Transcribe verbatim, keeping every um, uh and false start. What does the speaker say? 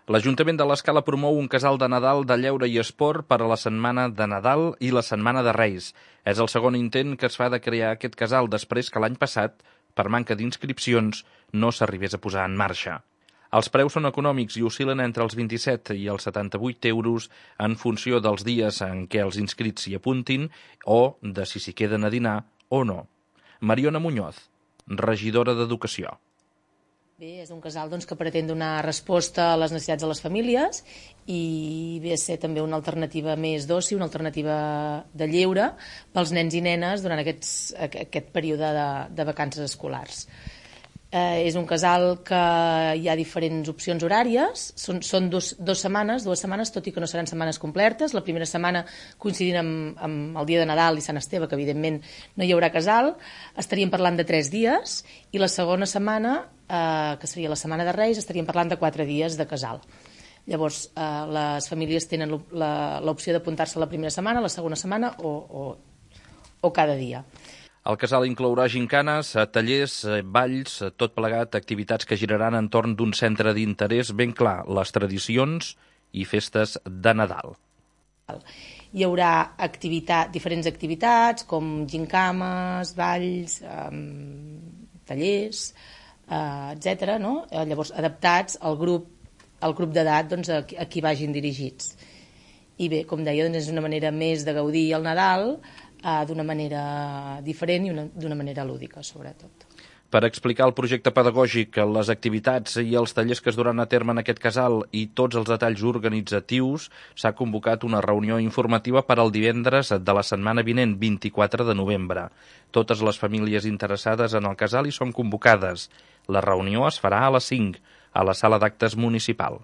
L'Ajuntament de l'Escala promou un casal de Nadal de lleure i esport per a la setmana de Nadal i la setmana de Reis. És el segon intent que es fa de crear aquest casal després que l'any passat, per manca d'inscripcions, no s'arribés a posar en marxa. Els preus són econòmics i oscil·len entre els vint-i-set i els setanta-vuit euros en funció dels dies en què els inscrits s'hi apuntin o de si s'hi queden a dinar o no. Mariona Muñoz, regidora d'Educació. Bé, és un casal doncs, que pretén donar resposta a les necessitats de les famílies i ve a ser també una alternativa més d'oci, una alternativa de lleure pels nens i nenes durant aquests, aquest període de, de vacances escolars. Eh, és un casal que hi ha diferents opcions horàries, són, són dos, dos setmanes, dues setmanes, tot i que no seran setmanes completes. La primera setmana coincidint amb, amb el dia de Nadal i Sant Esteve, que evidentment no hi haurà casal, estaríem parlant de tres dies, i la segona setmana, eh, que seria la setmana de Reis, estaríem parlant de quatre dies de casal. Llavors, eh, les famílies tenen l'opció d'apuntar-se la primera setmana, la segona setmana o, o, o cada dia. El casal inclourà gincanes, tallers, balls, tot plegat, activitats que giraran entorn d'un centre d'interès ben clar, les tradicions i festes de Nadal. Hi haurà activitat, diferents activitats com gincames, balls, eh, tallers, eh, etcètera, no? Llavors adaptats al grup, al grup d'edat doncs, a, a qui vagin dirigits. I bé, com deia, doncs és una manera més de gaudir el Nadal, d'una manera diferent i d'una manera lúdica, sobretot. Per explicar el projecte pedagògic, les activitats i els tallers que es duran a terme en aquest casal i tots els detalls organitzatius, s'ha convocat una reunió informativa per al divendres de la setmana vinent, vint-i-quatre de novembre. Totes les famílies interessades en el casal hi són convocades. La reunió es farà a les cinc, a la sala d'actes municipal.